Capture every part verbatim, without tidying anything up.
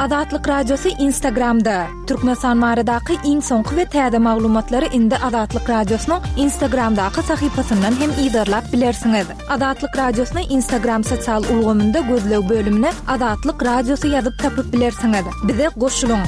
Azatlyk Radiosy Instagramda. Türkmenistan baradaky iň soňky we täze maglumatlary indi Azatlyk Radiosynyň Instagramdaky sahypasyndan hem yzarlap bilersiňiz. Azatlyk Radiosyny Instagram sosial ulgamynda gözleg bölümine Azatlyk Radiosy ýazyp tapyp bilersiňiz. Bize goşulyň.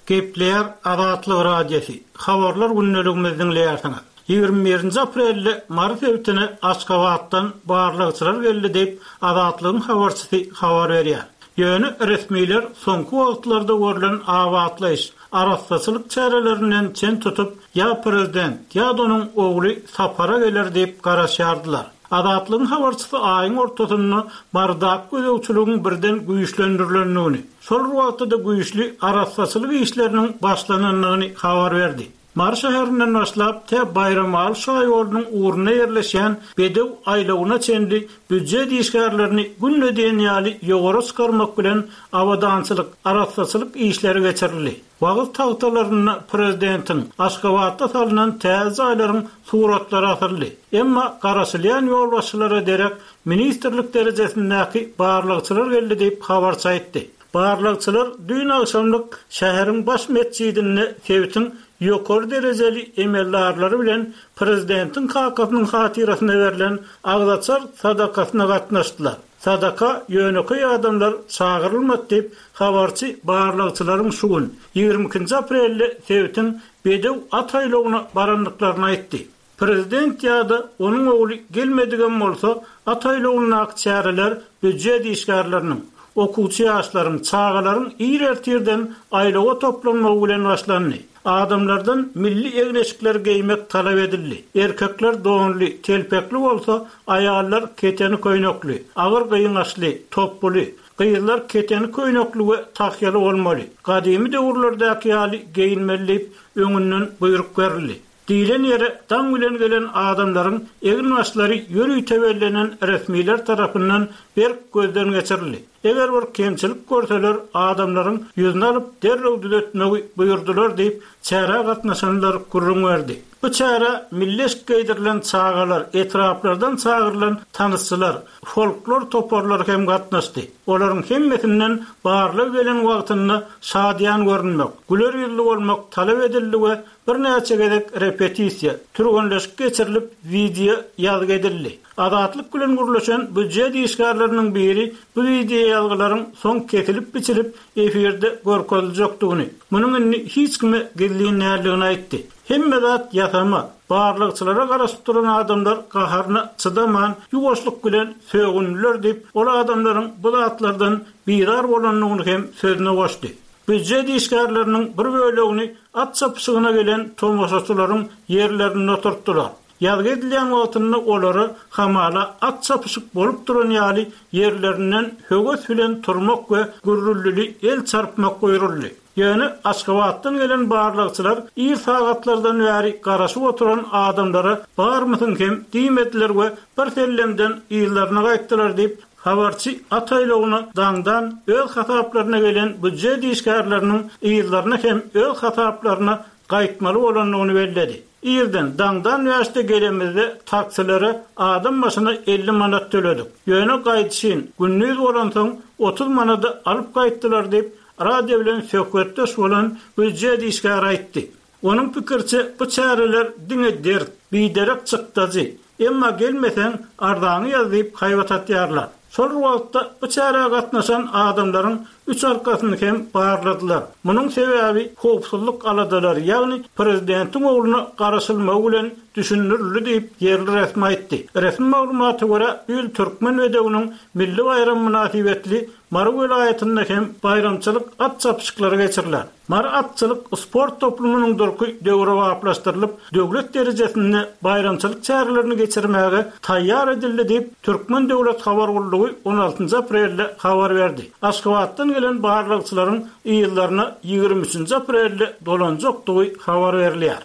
Gepleýär Azatlyk Radiosy. Habarlar gündeligimizi diňleýärsiňiz. Ýigrimi birinji aprelde Mary sebitine Aşgabatdan barlagçylar geldi diýip, Azatlygyň habarçysy habar berýär. Ýöne resmiler soňky wagtlarda görlen abatlaýyş, arassaçylyk çärelerinden çen tutup, ýa prezident, ýa-da onuň ogly sapara geler diýip garaşýardylar. Azatlygyň habarçysy aýyň ortasynda Marydaky gözegçiligiň birden güýçlendirilendigini, şol bir wagtda-da güýçli arassaçylyk işleriniň başlanandygyny habar berdi. Mary şäherinden başlap, tä Baýramaly şaýolunyň ugrunda ýerleşýän Bedew aýlawyna çenli býujet işgärlerini günde diýen ýaly ýowara çykarmak bilen abadançylyk, arassaçylyk işleri geçirildi. Wagyz tagtalarynda prezidentiň, Aşgabatda salnan täze jaýlaryň suratlary asyldy. Emma garaşylýan ýolbaşçylara derek ministrlik derejesindäki barlagçylar geldi diýip, habarçy aýtdy. Barlagçylar düýn agşamlyk şäheriň baş metjidinde sebitiň ýokary derejeli emeldarlary bilen prezidentiň kakasynyň hatyrasyna berlen agzaçar sadakasyna gatnaşdylar. Sadaka ýönekeý adamlar çagyrylmady diýip, habarçy barlagçylaryň şu gün, ýigrimi ikinji aprelde sebitiň Bedew at aýlawyna barandyklaryny aýtdy. Prezident ýa-da onuň ogly gelmedigem bolsa, at aýlawyndaky çäreler býujet işgärleriniň, okuwçy ýaşlaryň, çagalaryň ir ertirden aýlawa toplanmagy bilen başlandy. Adamlardan milli egin-eşikleri geýmek talap edildi. Erkekler donly, telpekli bolsa, aýallar keteni köýnekli, agyr gyňaçly, topbuly, gyzlar keteni köýnekli we tahýaly bolmaly, gadymy döwürlerdäki ýaly geýinmeli diýip, öňünden buýruk berildi. Diýlen ýere daň bilen gelen adamlaryň egin-başlary ýörite bellenen resmiler tarapyndan berk gözden geçirildi. Eger bir kemçilik görseler, adamlaryň ýüzüni alyp, derrew düzetmegi buýurdylar diýip, çärä gatnaşanlar gürrüň berdi. Bu çärä milli eşik geýdirilen çagalar, etraplardan çagyrylan tanysçylar, folklor toparlary hem gatnaşdy. Olaryň hemmesinden barlag gelen wagtynda şadyýan görünmek, güler ýüzli bolmak talap edildi we birnäçe gezek repetisiýa, türgenleşik geçirilip, wideo ýazgy edildi. Azatlyk bilen gürleşen býujet işgärleriniň biri bu wideo ýazgylaryň soň kesilip-biçilip efirde görkeziljekdigini, munuň indi hiç kime gizlin däldigini aýtdy. Hemme zat ýasama, barlagçylara garaşyp duran adamlar gaharyna çydaman, ýuwaşlyk bilen sögündiler diýip, ol adamlaryň bu zatlardan bizar bolandygyny hem sözüne goşdy. Býujet işgärleriniň bir bölegini at çapyşygyna gelen tomaşaçylaryň ýerlerinde oturtdylar. Ýazgy edilýän wagtynda olara hamala at çapyşyk bolup duran ýaly ýerlerinden höwes bilen turmak we gürrüldili el çarpmak buýruldy. Ýöne Aşgabatdan gelen barlagçylar ir sagatlardan bäri garaşyp oturan adamlara barmysyň hem diýmediler we bir sellemden yzlaryna gaýtdylar diýip, habarçy at aýlawyna daňdan öz hasaplaryna gelen býujet işgärleriniň yzlaryna hem öz hasaplaryna gaýtmaly bolandygyny belledi. Irden, daňdan bäşde gelenimizde taksilere adam başyna elli manat töledik. Ýöne gaýdyşyn, gündiz bolansoň otuz manada alyp gaýtdylar diýip, radio bilen söhbetdeş bolan býujet işgäri aýtdy. Onuň pikiriçe, bu çäreler diňe dert, biderek çykdajy. Emma gelmeseň, arzaňy ýaz diýip haýbat atýarlar. Şol bir wagtda bu çärä gatnaşan adamlaryň üç arkasyny hem barladylar. Munuň sebäbi howpsuzlyk aladalary, ýagny prezidentiň ogluna garaşylmagy bilen düşündirildi diýip, ýerli resmi aýtdy. Resmi maglumata görä, bu ýyl Türkmen bedewiniň milli baýramy mynasybetli Mary welaýatynda hem baýramçylyk at çapyşyklary geçiriler. Mary atçylyk sport toplumynyň durky döwrebaplaşdyrylyp, döwlet derejesinde baýramçylyk çärelerini geçirmäge taýýar edildi diýip, Türkmen döwlet habar gullugy on altynjy aprelde habar berdi. Aşgabatdan gelen barlagçylaryň yzlaryna ýigrimi üçünji aprelde dolanjakdygy habar berilýär.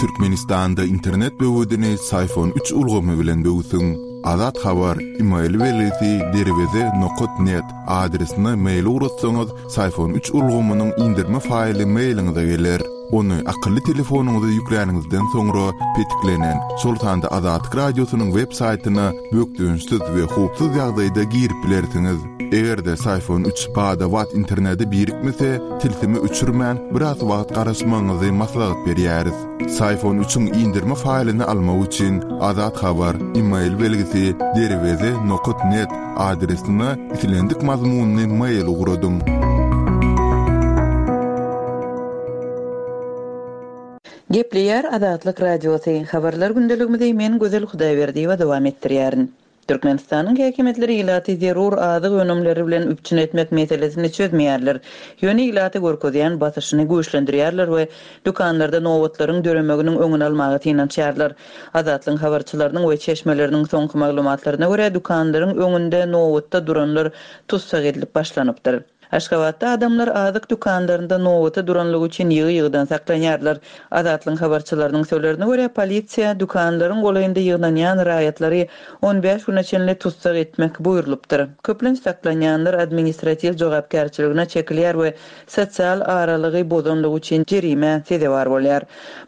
Türkmenistanda internet böwedini Syfon üç ulgamy bilen böwsüň. Azat Habar, email belgisi derweze nokat net adresine mail ugratsaňyz, Syfon üç ulgamynyň indirme faýly mailiňize geler. Ony akylly telefonyňyza ýükläniňizden soňra petiklenen, şol sanda Azatlyk Radiosynyň web saýtyna bökdençsiz we howpsuz ýagdaýda girip bilersiňiz. Eger-de Psiphon üç bada-bat internete birikmese, tilsimi öçürmän biraz wagt garaşmagyňyzy maslahat berýäris. Psiphon üçiň indirme faýlyny almak üçin Azat Habar e-mail belgisi derweze nokta net adresine islendik mazmunyny mail ugradyň. Gepleýär Azatlyk Radiosy. Habarlar gündeligimizi men Gözel Hudaýberdiýewa dowam etdirýärin. Türkmenistanyň häkimiýetleri ilaty zerur azyk önümleri bilen üpjün etmek meselesini çözmeýärler. Ýöne ilaty görkezýän basyşyny güýçlendirýärler we dükanlarda nobatlaryň döremeginiň öňüni almaga synanyşýarlar. Azatlyk habarçylarynyň we çeşmeleriniň soňky maglumatlaryna görä dükanlaryň öňünde nobatda duranlar tussag edilip başlanypdyr. Aşgabatda adamlar azyk dükanlarynda nobata duranlygy üçin ýygy-ýygydan saklanýarlar. Azatlyk habarçylarynyň sözlerine görä polisiýa dükanlaryň golaýynda ýygnanýan raýatlary on bäş güne çenli tussag etmek buýrulypdyr. Köplenç saklanýanlar administratiw jogapkärçiligine çekilýär we sosial aralygy bozanlygy üçin jerime sezewar bolýar.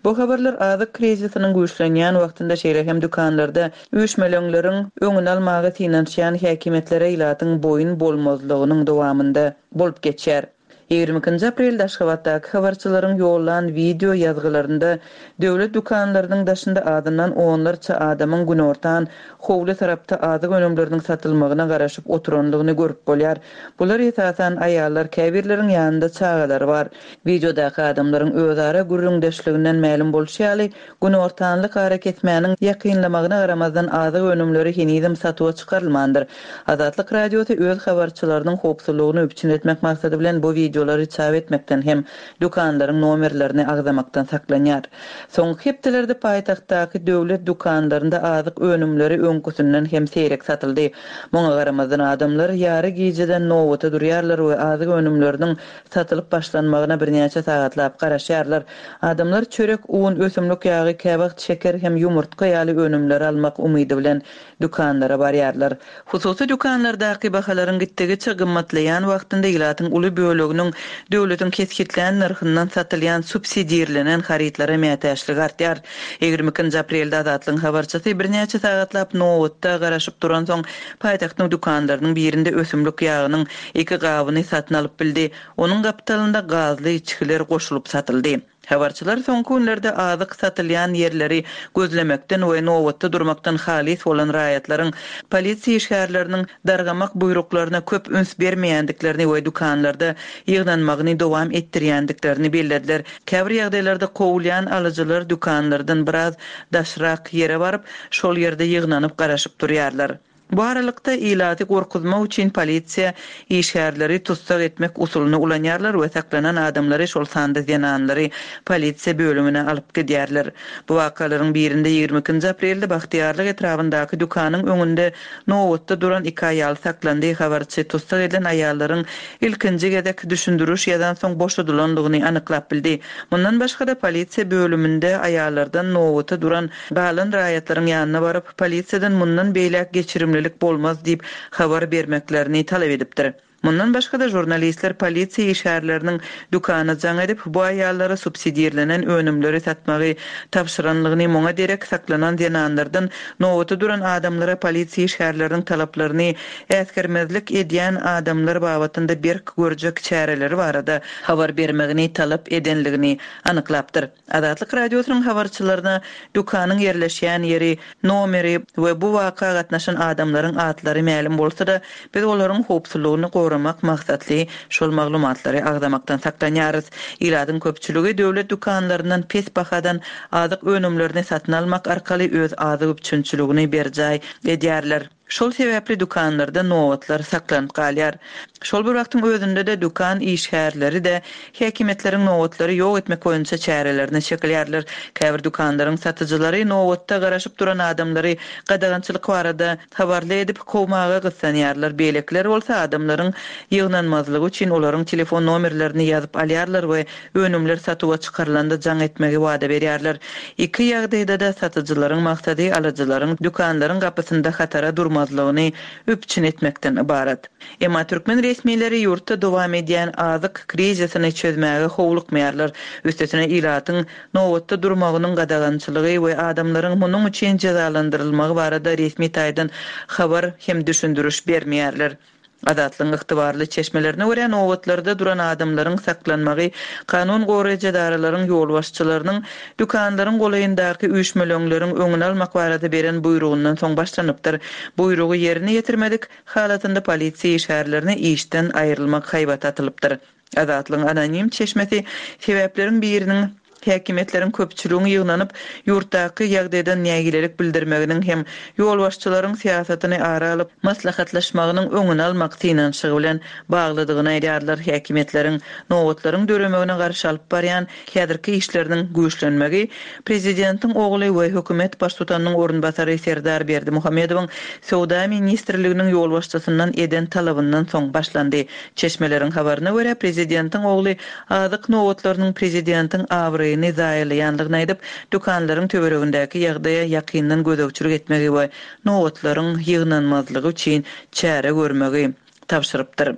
Bu habarlar azyk krizisiniň güýçlenýän wagtynda şeýle hem dükanlarda üýşmeleňleriň öňüni almaga synanyşýan häkimiýetlere ilatyň boýun bolmazlygynyň dowamynda bolup geçýär. Ýigrimi ikinji aprelde Aşgabatdaky habarçylaryň ýollan video ýazgylarynda döwlet dükanlarynyň daşynda adyndan onlarça adamyň günortan howly tarapda azyk önümleriniň satylmagyna garaşyp oturanlygyny görüp bolýar. Bular esasan aýallar, käbirleriň ýanynda çagalary bar. Videodaky adamlaryň özara gürrüňdeşliginden mälim bolşy ýaly, günortanlyk ara kesmäniň ýakynlamagyna garamazdan azyk önümleri henizem satuwa çykarylmandyr. Azatlyk Radiosy öz habarçylarynyň howpsuzlygyny üpjün etmek maksady bilen bu videolary çap etmekden hem dükanlaryň nomerlerini agzamakdan saklanýar. Soňky hepdelerde paýtagtdaky döwlet dükanlarynda azyk önümleri öňküsinden hem seýrek satyldy. Muňa garamazdan adamlar ýary gijeden nobata durýarlar we azyk önümleriniň satylyp başlanmagyna birnäçe sagatlap garaşýarlar. Adamlar çörek, un, ösümlik ýagy, käwagt şeker hem ýumurtga ýaly önümleri almak umydy bilen dükanlara barýarlar. Hususy dükanlardaky bahalaryň gitdigiçe gymmatlaýan wagtynda ilatyň uly böleginiň döwletiň kesgitlän nyrhyndan satylýan subsidirlenen harytlara mätäçligi artýar. Ýigrimi ikinji aprelde Azatlygyň habarçysy birnäçe sagatlap nobatda garaşyp duran soň paýtagtyň dükanlarynyň birinde ösümlik ýagynyň iki gabyny satyn alyp bildi. Onuň gapdalynda gazly içgiler goşulyp satyldy. Habarçylar soňky günlerde azyk satylýan ýerleri gözlemekden we nobatda durmakdan halis bolan raýatlaryň polisiýa işgärleriniň dargamak buýruklaryna köp üns bermeýändiklerini we dükanlarda ýygnanmagyny dowam etdirýändiklerini bellediler. Käbir ýagdaýlarda kowulýan alyjylar dükanlardan biraz daşrak ýere baryp, şol ýerde ýygnanyp garaşyp durýarlar. Bu aralykda ilaty gorkuzmak üçin polisiýa işgärleri tussag etmek usulyny ulanýarlar we saklanan adamlary, şol sanda zenanlary polisiýa bölümine alyp gidýärler. Bu wakalaryň birinde ýigrimi ikinji aprelde Bagtyýarlyk etrabyndaky dükanyň öňünde nobatda duran iki aýal saklandy. Habarçy tussag edilen aýallaryň ilkinji gezek düşündiriş ýazan soň boşadylandygyny anyklap bildi. Mundan başga-da polisiýa bölüminde aýallardan nobata duran galan raýatlaryň ýanyna baryp, polisiýadan mundan beýläk geçirimlilik bolmaz diýip habar bermeklerini talap edipdir. Mundan başga-da jurnalistler polisiýa işgärleriniň dükana jaň edip, bu aýallara subsidirlenen önümleri satmagy tabşyranlygyny, muňa derek saklanan zenanlardan nobata duran adamlara polisiýa işgärleriniň talaplaryny äsgermezlik edýän adamlar babatynda berk görjek çäreleri barada habar bermegini talap edenligini anyklapdyr. Azatlyk Radiosynyň habarçylaryna dükanyň ýerleşýän ýeri, nomeri we bu waka gatnaşan adamlaryň atlary mälim bolsa-da, biz olaryň howpsuzlygyny goramak maksatly şol maglumatlary agzamakdan saklanýarys. Ilatyň köpçüligi döwlet dükanlaryndan pes bahadan azyk önümlerini satyn almak arkaly öz azyk üpjünçiligini berjaý edýärler. Şol sebäpli dükanlarda nobatlar saklanyp galýar. Şol bir wagtyň özünde-de dükan işgärleri-de häkimiýetleriň nobatlary ýok etmek boýunça çärelerine çekilýärler. Käbir dükanlaryň satyjylary nobatda garaşyp duran adamlary gadagançylyk barada habarly edip kowmaga gyssanýarlar. Beýlekiler bolsa adamlaryň ýygnanmazlygy üçin olaryň telefon nomerlerini ýazyp alýarlar we önümler satuwa çykarylanda jaň etmegi wada berýärler. Iki ýagdaýda-da satyjylaryň maksady alyjylaryň dükanlaryň gapysynda hatara durmagy durmazlygyny üpjün etmekden ybarat. Emma türkmen resmileri ýurtda dowam edýän azyk krizisini çözmäge howlukmaýarlar. Üstesine ilatyň nobatda durmagynyň gadagançylygy we adamlaryň munuň üçin jezalandyrylmagy barada resmi taýdan habar hem düşündiriş bermeýärler. Azatlygyň ygtybarly çeşmelerine görä nobatlarda duran adamlaryň saklanmagy, kanun goraýjy edaralaryň ýolbaşçylarynyň dükanlaryň golaýyndaky üýşmeleňleriň öňüni almak barada beren buýrugyndan soň başlanypdyr. Buýrugy ýerine ýetirmedik halatynda polisiýa işgärlerine işden aýrylmak haýbaty atylypdyr. Azatlygyň anonim çeşmesi sebäpleriň biriniň häkimiýetleriň köpçüligiň ýygnanyp, ýurtdaky ýagdaýdan nägilelik bildirmeginiň hem ýolbaşçylaryň syýasatyny ara alyp maslahatlaşmagynyň öňüni almak synanyşygy bilen baglydygyny aýdýarlar. Häkimiýetleriň nobatlaryň döremegine garşy alyp barýan häzirki işleriniň güýçlenmegi prezidentiň ogly we hökümet baştutanynyň orunbasary Serdar Berdimuhamedowyň Söwda ministrliginiň ýolbaşçysyndan eden talabyndan soň başlandy. Çeşmeleriň habaryna görä prezidentiň ogly azyk nobatlarynyň prezidentiň abraýyny zaýalaýanlygyny aýdyp, dükanlaryň töweregindäki ýagdaýa ýakyndan gözegçilik etmegi we nobatlaryň ýygnanmazlygy üçin çäre görmegi tabşyrypdyr.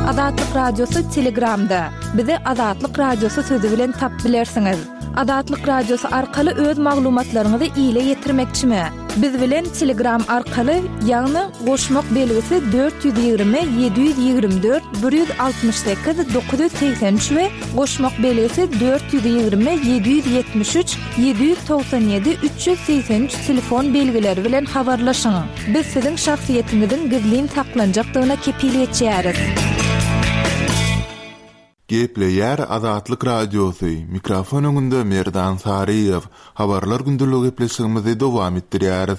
Azatlyk Radiosy Telegramda. Bizi Azatlyk Radiosy sözü bilen tap bilersiňiz. Azatlyk Radiosy arkaly öz maglumatlaryňyzy ile ýetirmekçimi? Biz bilen Telegram arkaly, ýagny goşmak belgisi dört ýüz ýigrimi ýedi ýüz ýigrimi dört bir ýüz altmyş sekiz dokuz ýüz segsen üç we goşmak belgisi dört ýüz ýigrimi ýedi ýüz ýetmiş üç ýedi ýüz togsan ýedi üç ýüz segsen üç telefon belgileri bilen habarlaşyň. Biz siziň şahsyýetiňiziň gizlin saklanjakdygyna kepil geçýäris. Gepleýär Azatlyk Radiosy. Mikrofon öňünde Merdan Saryýew. Habarlar gündelik gepleşigimizi dowam etdirýäris.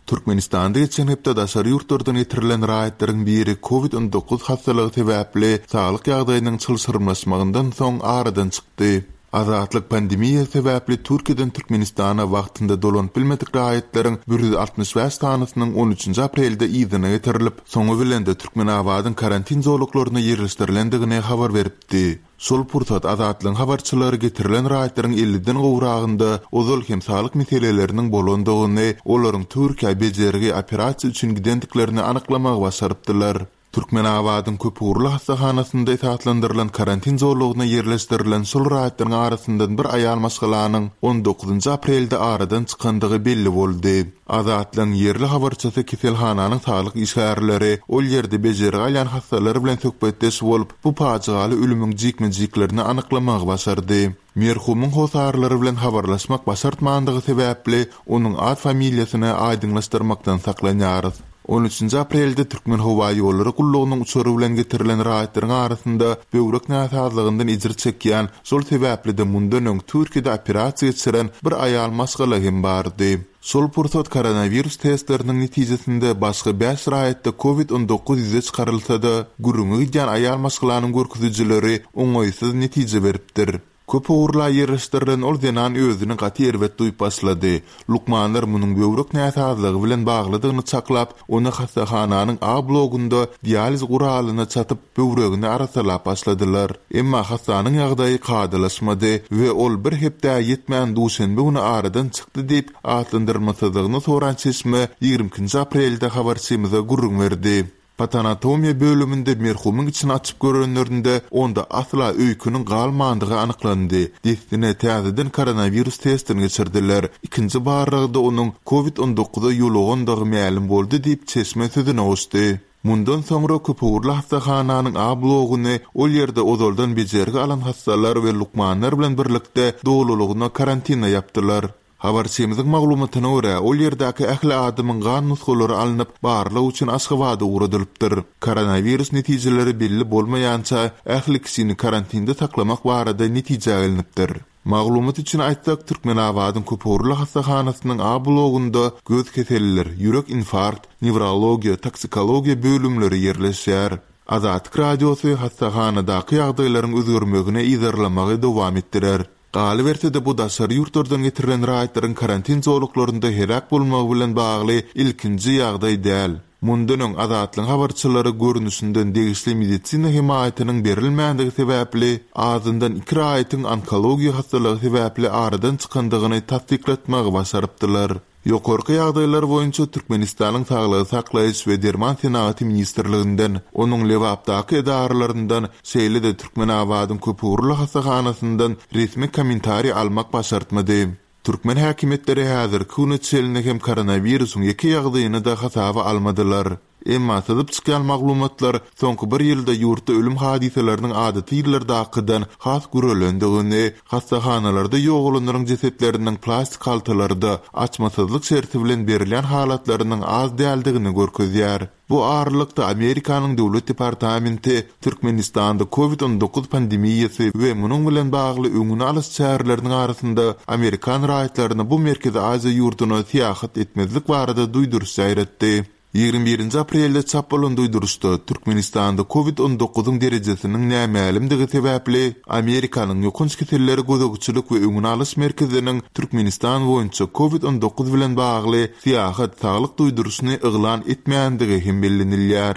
Türkmenistanda geçen hepde daşary ýurtlardan getirilen raýatlaryň biri COVID on dokuz hastalygy sebäpli saglyk ýagdaýynyň çylşyrymlaşmagyndan soň aradan çykdy. Azatlyk pandemiýa sebäpli Türkiýeden Türkmenistana wagtynda dolanyp bilmedik raýatlaryň bir ýüz altmyş bäş sanysynyň on üçünji aprelde yzyna getirilip, soňy bilen de Türkmenabadyň karantin zolaklaryna ýerleşdirilendigini habar beripdi. Şol pursat Azatlygyň habarçylary getirilen raýatlaryň elliden gowragynda ozal hem saglyk meseleleriniň bolandygyny, olaryň Türkiýä bejergi operasiýa üçin gidendiklerini anyklamagy başarypdylar. Türkmenabadyň köpugurly hastahanasynda esaslandyrylan karantin zolagyna ýerleşdirilen şol raýatlaryň arasyndan bir aýal maşgalanyň on dokuzynjy aprelde aradan çykandygy belli boldy. Azatlygyň ýerli habarçysy keselhananyň saglyk işgärleri ol ýerde bejergi alýan hastalar bilen söhbetdeş bolup, bu pajygaly ölümiň jikme-jiklerini anyklamagy başardy. Merhumyň hosarlary bilen habarlaşmak başartmandygy sebäpli onuň ad familiýasyny aýdyňlaşdyrmakdan saklanýarys. On üçünji aprelde Türkmen howa ýollary gullugynyň uçary bilen getirilen raýatlaryň arasynda böwrek näsazlygyndan ejir çekýän, şol sebäpli de mundan öň Türkiýede operasiýa geçiren bir aýal maşgala hem bardy. Şol pursat koronawirus testleriniň netijesinde başga bäş raýatda COVID on dokuz ýüze çykarylsa-da, gürrüňe gidýän aýal maşgalanyň görkezijileri oňaýsyz netije beripdir. Köp ugurla ýerleşdirilen ol zenan özüni gaty erbet duýup başlady. Lukmanlar munuň böwrek näsazlygy bilen baglydygyny çaklap, ony hastahananyň A blogunda dializ guralyna çatyp, böwregini arasalap başladylar. Emma hastanyň ýagdaýy kadalaşmady we ol bir hepde ýetmän duşenbe güni aradan çykdy diýip, atlandyrmasyzlygyny soran çeşme ýigrimi ikinji aprelde habarçymyza gürrüň berdi. Patanatomiýa bölüminde merhumyň içini açyp görenlerinde onda asla öýküniň galmandygy anyklandy. Dessine täzeden koronawirus testini geçirdiler. Ikinji barlagda onuň COVID on dokuza ýolugandygy mälim boldy diýip çeşme sözüne goşdy. Mundan soňra köpugurly hastahananyň A blogyny ol ýerde ozaldan bejergi alan hastalar we lukmanlar bilen birlikde dolulygyna karantina ýapdylar. Habarçymyzyň maglumatyna görä, ol ýerdäki ähli adamyň gan nusgalary alnyp, barlag üçin Aşgabada ugradylypdyr. Koronawirus netijeleri belli bolmaýança ähli kişini karantinde saklamak barada netije alnypdyr. Maglumat üçin aýtsak, Türkmenabadyň köpugurly hastahanasynyň A blogunda göz keselleri, ýürek infarkt, newrologiýa, toksikologiýa bölümleri ýerleşýär. Azatlyk Radiosy hastahanadaky ýagdaýlaryň özgermegini yzarlamagy dowam etdirer. Galyberse-de bu daşary ýurtlardan getirilen raýatlaryň karantin zolaklarynda heläk bolmagy bilen bagly ilkinji ýagdaý däl. Mundan öň Azatlygyň habarçylary görnüşinden degişli medisina hemaýatynyň berilmändigi sebäpli azyndan iki raýatyň onkologiýa hastalygy sebäpli aradan çykandygyny tassyklatmagy başarypdylar. Ýokarky ýagdaýlar boýunça Türkmenistanyň Saglygy saklaýyş we derman senagaty ministrliginden, onuň Lebapdaky edaralaryndan, şeýle-de Türkmenabadyň köpugurly hassahanasyndan resmi kommentariý almak başartmady. Türkmen häkimiýetleri häzirki güne çenli hem koronawirusyň ýeke ýagdaýyny-da hasaba almadylar. Emma syzyp çykýan maglumatlar soňky bir ýylda ýurtda ölüm hadysalarynyň adaty ýyllardakydan has güreländigini, hassahanalarda ýogalanlaryň jesetleriniň plastik haltalarda açmasyzlyk şerti bilen berilýän halatlarynyň az däldigini görkezýär. Bu aralykda Amerikanyň Döwlet departamenti Türkmenistanda Covid on dokuz pandemiýasy we munuň bilen bagly öňüni alyş çäreleriniň arasynda amerikan raýatlaryna bu Merkezi Aziýa ýurduna syýahat etmezlik barada duýduryş ýaýratdy. Ýigrimi birinji aprelde çap bolan duýduryşda Türkmenistanda Covid on dokuzyň derejesiniň nämälimdigi sebäpli Amerikanyň ýokanç keselleri gözegçilik we öňüni alyş merkeziniň Türkmenistan boýunça Covid on dokuz bilen bagly syýahat saglyk duýduryşyny yglan etmändigi hem bellenilýär.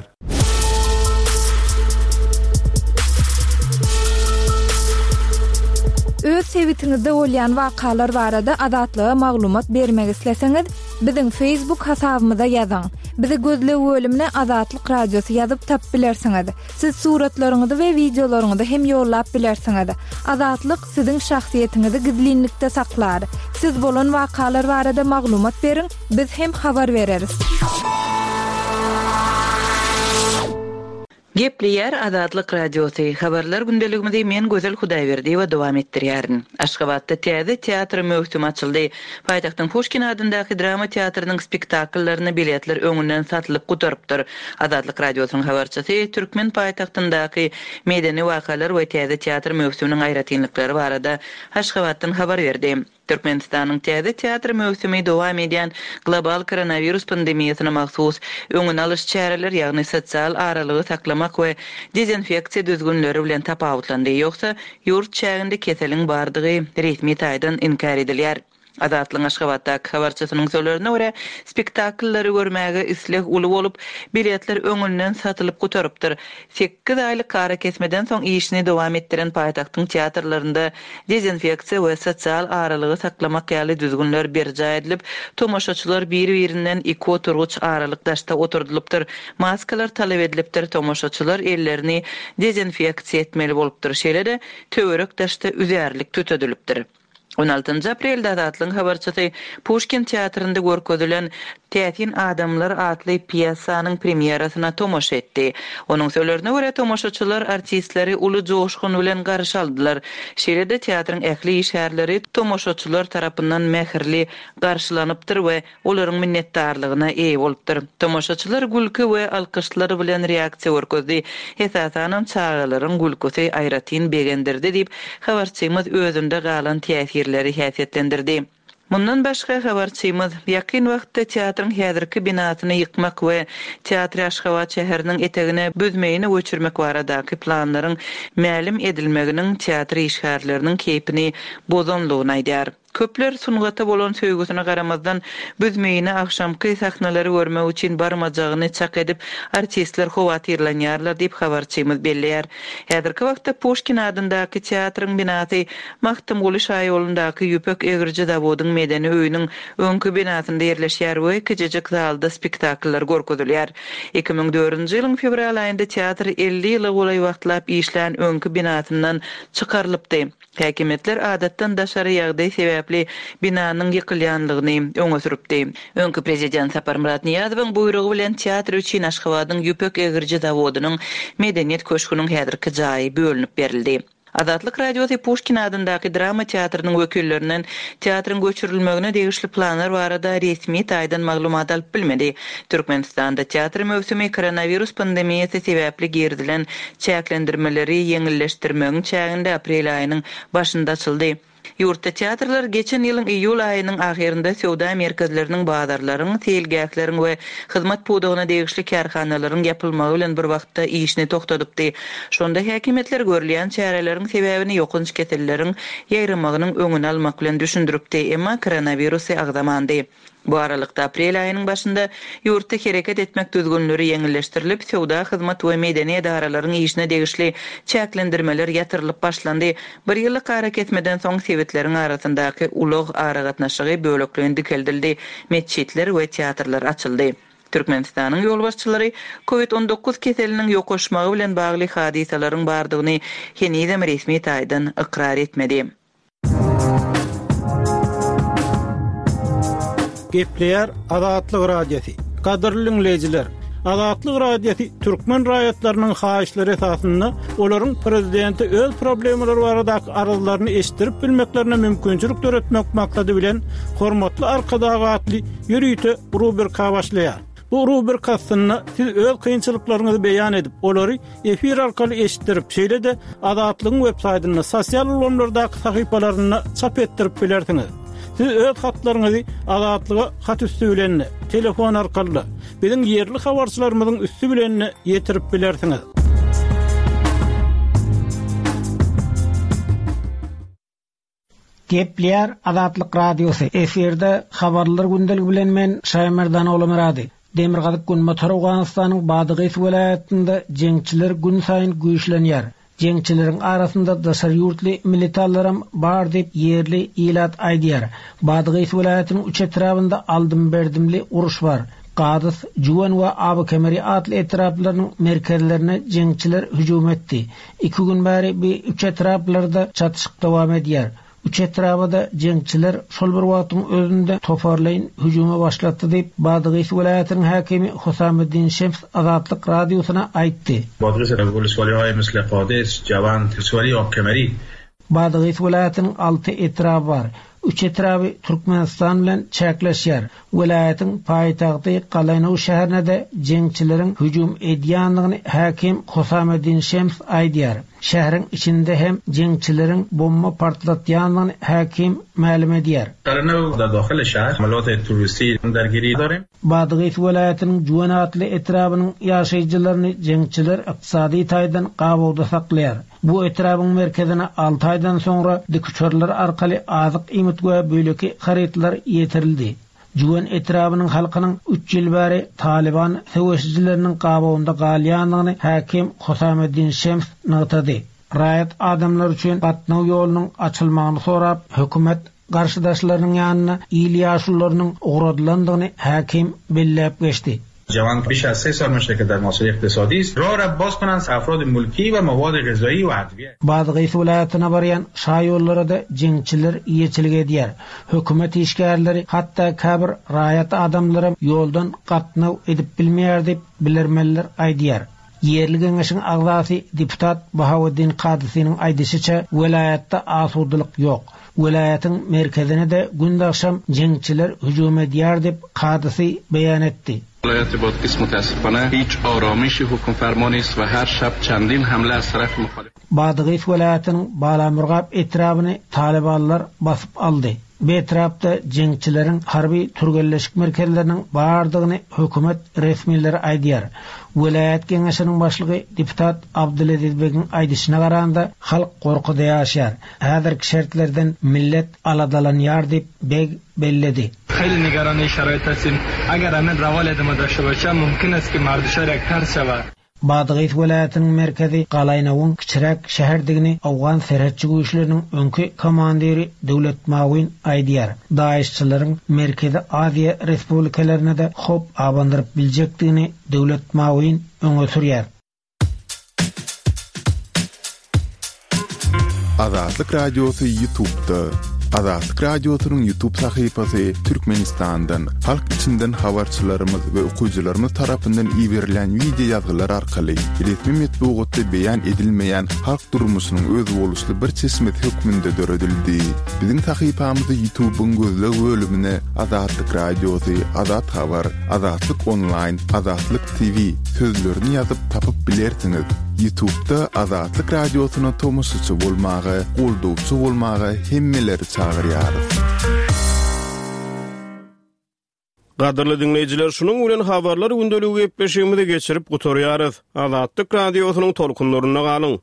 Öz sebitiňizde bolýan wakalar barada Azatlyga maglumat bermek isleseňiz, biziň Facebook hasabymyza ýazyň. Bizi gözleg bölümine Azatlyk Radiosy ýazyp tap bilersiňiz. Siz suratlaryňyzy we wideolaryňyzy hem ýollap bilersiňiz. Azatlyk siziň şahsyýetiňizi gizlinlikde saklar. Siz bolan wakalar barada maglumat beriň, biz hem habar bereris. Gepleýär Azatlyk Radiosy. Habarlar gündeligimizi men Gözel Hudaýberdiýewa dowam etdirýärin. Aşgabatda täze teatr möwsümi açyldy. Paýtagtyň Puşkin adyndaky drama teatrynyň spektakllaryna biletler öňünden satylyp gutarypdyr. Azatlyk Radiosynyň habarçysy Türkmen paýtagtyndaky medeni wakalar we täze teatr möwsüminiň aýratynlyklary barada Aşgabatdan habar berdi. Türkmenistanyň täze teatr möwsümi dowam edýän global koronawirus pandemiýasyna mahsus öňüni alyş çäreler, ýagny sosial aralygy saklamak we dezinfeksiýa düzgünleri bilen tapawutlandy. Ýogsa ýurt çäginde keseliň bardygy resmi taýdan inkär edilýär. Azatlygyň Aşgabatdaky habarçysynyň sözlerine görä, spektakllary görmäge isleg uly bolup, biletler öňünden satylyp gutarypdyr. Sekiz aýlyk arakesmeden soň işini dowam etdiren paýtagtyň teatrlarynda dezinfeksiýa we sosial aralygy saklamak ýaly düzgünler berjaý edilip, tomaşaçylar bir-birinden iki oturgyç aralyk daşda oturdylypdyr. Maskalar talap edilipdir, tomaşaçylar ellerini dezinfeksiýa etmeli bolupdyr. Şeýle-de töwerek daşda üzärlik tütedilipdir. On altynjy aprelde Azatlygyň habarçysy Puşkin teatrynda görkezilen Täsin adamlar atly pýesanyň premýerasyna tomaşa etdi. Onuň sözlerine görä tomaşaçylar artistleri uly joşgun bilen garşy aldylar. Şeýle-de teatryň ähli işgärleri tomaşaçylar tarapyndan mähirli garşylanypdyr we olaryň minnetdarlygyna eýe bolupdyr. Tomaşaçylar gülki we alkyşlar bilen reaksiýa görkezdi. Esasanam çagalaryň gülküsi aýratyn begendirdi diýip, habarçymyz özünde galan täsirleri häsiýetlendirdi. Mundan başga habarçymyz ýakyn wagtda teatryň häzirki binasyny ýykmak we teatry Aşgabat şäheriniň etegine büzmeýini göçürmek baradaky planlaryň mälim edilmeginiň teatr işgärleriniň keýpini bozanlygyny aýdar. Köpler sungata bolan söýgüsine garamazdan büzmeýini agşamky sahnalary görmek üçin barmajagyny çak edip artistler howatyrlanýarlar diýip habarçymyz belleýär. Häzirki wagtda Puşkin adyndaky teatryň binasy Magtymguly şaýolundaky Ýüpek egriji zawodyň medeni öýüniň öňki binasynda ýerleşýär we kiçijik zalda spektakllar görkezilýär. Iki müň dördünji ýylyň fewral aýynda teatr elli ýyla golaý wagtlap işlän öňki binasyndan çykarylypdy. Häkimiýetler adatdan daşary ýagdaý sebäpli binanyň ýykylýanlygyny öňe sürüpdi. Öňki prezident Saparmyrat Nyýazowyň buýrugy bilen teatr üçin Aşgabadyň Ýüpek egriji zawodynyň Medeniýet köşgüniň häzirki jaýy bölünip berildi. Azatlyk Radiosy Puşkin adyndaky drama teatrynyň wekillerinden teatryň göçürilmegine degişli planlar barada resmi taýdan maglumat alyp bilmedi. Türkmenistanda teatr möwsümi koronawirus pandemiýasy sebäpli girizilen çäklendirmeleri ýeňilleşdirmegiň çäginde aprel aýynyň başynda açyldy. Ýurtda teatrlar geçen ýylyň iýul aýynyň ahyrynda söwda merkezleriniň, bazarlaryň, seýilgähleriň we hyzmat pudagyna degişli kärhanalaryň ýapylmagy bilen bir wagtda işini toxtadypdy. Şonda häkimiýetler görülýän çäreleriň sebäbini ýokanç keselleriň ýaýramagynyň öňüni almak bilen düşündiripdi, emma koronawirusy agzamandy. Bu aralykda aprel aýynyň başynda ýurtda hereket etmek düzgünleri ýeňilleşdirilip, söwda, hyzmat we medeni edaralaryň işine degişli çäklendirmeler ýatyrylyp başlandy. Bir ýyllyk arakesmeden soň sebitleriň arasyndaky ulag aragatnaşygy bölekleýin dikeldildi, metjitler we teatrlar açyldy. Türkmenistanyň ýolbaşçylary Covid on dokuz keseliniň ýokaşmagy bilen bagly hadysalaryň bardygyny henizem resmi taýdan ykrar etmedi. Gepleýär Azatlyk Radiosy. Gadyrly dinleýjiler, Azatlyk Radiosy türkmen raýatlarynyň haýyşlary esasynda olaryň prezidente öz problemalary baradaky arzlaryny eşitdirip bilmeklerine mümkinçilik döretmek maksady bilen Hormatly Arkadag atly ýörite rubrika başlaýar. Bu rubrika aslynda siz öz kynçylyklaryňyzy beýan edip, olary efir arkaly eşitdirip, şeýle-de Azatlygyň web saýtynda, sosial ulgamlardaky sahypalarynda çap etdirip bilersiňiz. Siz öz hatlaryňyzy Azatlyga hat üstü bilen, telefon arkaly, biziň ýerli habarçylarymyzyň üstü bilen ýetirip bilersiňiz. Gepleýär Azatlyk Radiosy. Efirde habarlar gündeligi bilen men Şaýmerdan Olamyrady. Demirgazyk Günbatar Owganystanyň Badygys welaýatynda jeňçiler gün saýyn güýçlenýär. Jeňçileriň arasynda daşary ýurtly militallaram bar diýip ýerli ilat aýdýar. Badygys welaýatynyň üç etrabynda aldym-berdimli uruş bar. Gadys, Juwan we Abykemeri atly etraplarynyň merkezlerine jeňçiler hüjüm etdi. Iki gün bäri bu üç etraplarda çatyşyk dowam edýär. Üç etrabada jeňçiler şol bir wagtyň özünde toparlaýyn hüjüme başlatdy diýip Badygys welaýatynyň häkimi Husameddin Şems Azatlyk radiosyna aýtdy. Badygys welaýatynyň misli Qadis, Jawan, Tiswali, Abkemeri. Badygys welaýatynyň alty etraby bar. Üç etraby Türkmenistan bilen çäkleşýär. Welaýatyň paýtagty Galaýnow şäherine-de jeňçileriň hüjüm edýändigini häkim Husameddin Şems aýdýar. Şäheriň içinde hem jeňçileriň bomba partlatýandygyny häkim mälim edýär. Galaýnow da daxil şäher amaliyat terroristi dergiri darim. Badygys welaýatynyň Juwan atly etrabynyň ýaşaýjylaryny jeňçiler ykdysady taýdan gabawda saklaýar. Bu etrabyň merkezine alty aýdan soňra dikuçarlar arkaly azyk iýmit we beýleki harytlar ýetirildi. Juwan etrabynyň halkynyň üç ýyl bäri Taliban söweşijileriniň gabawynda galýandygyny häkim Husameddin Şems nygtady. Raýat adamlar üçin gatnaw ýolunyň açylmagyny sorap, hökümet garşydaşlarynyň ýanyna il ýaşulularynyň ugradylandygyny häkim belläp geçdi. جوان بیش از سه سال میشه که در محاصره اقتصادی است. راه را باز کنند افراد ملکی و مواد غذایی و ادویه. Badygys welaýatyna barýan şaýollara da jeňçiler ýeçilik edýär. Hökümet işgärleri hatda käbir raýat adamlary ýoldan gatnaw edip bilmeýär diýip bilermenler aýdýar. Ýerli geňeşiň agzasy deputat Bahaweddin Kadysynyň aýdyşyça welaýatda asudalyk ýok. Welaýatyň merkezine de gündagşam jeňçiler hüjüm edýär diýip Kadysy beýan etdi. ولایت بادغیس متاسفانه هیچ آرامشی حکم فرما نیست و هر شب چندین حمله از طرف مخالف. Badygys welaýatynyň Balamurgap etrabyny Talibanlar basyp aldy. Bu etrapda jeňçileriň harby türgenleşik merkezleriniň bardygyny hökümet resmileri aýdýar. Welaýat geňeşiniň başlygy deputat Abdulaziz Begiň aýdyşyna garanda halk gorkuda ýaşar. Häzirki şertlerden millet aladalanýar diýip Beg belledi. خیلی نگران شرایط هستیم. اگر همین روال ادامه داشته باشه ممکن است که مردشار یک ترس شود. Badygys welaýatynyň merkezi Galaýnawuň kiçiräk şäherdigini Owgan serhetçi güýçleriniň öňki komandiri Döwlet Mawin aýdýar. Daeşçileriň Merkezi Aziýa Respublikalarynda da hop abandyryp biljekdigini Döwlet Mawin öňe sürýär. Azatlyk Radiosy YouTube'da. Azatlyk Radiosynyň YouTube sahypasy Türkmenistandan, halk içinden habarçylarymyz we okyjylarymyz tarapyndan iberilen video ýazgylar arkaly resmi metbugatda beýan edilmeýän halk durmuşynyň özboluşly bir çeşmesi hökmünde döredildi. Biziň sahypamyzy YouTube'yň gözleg bölümine Azatlyk Radiosy, Azat Habar, Azatlyk Online, Azatlyk T V sözlerini ýazyp tapyp bilersiňiz. YouTube'da Azatlyk Radiosyna tomaşaçy bolmagy, goldawçy bolmagy hemmeleri çagyrýarys. Gadyrly dinleýjiler, şunuň bilen habarlar gündeligi gepleşigimizi geçirip gutarýarys. Azatlyk Radiosynyň tolkunlarynda galyň.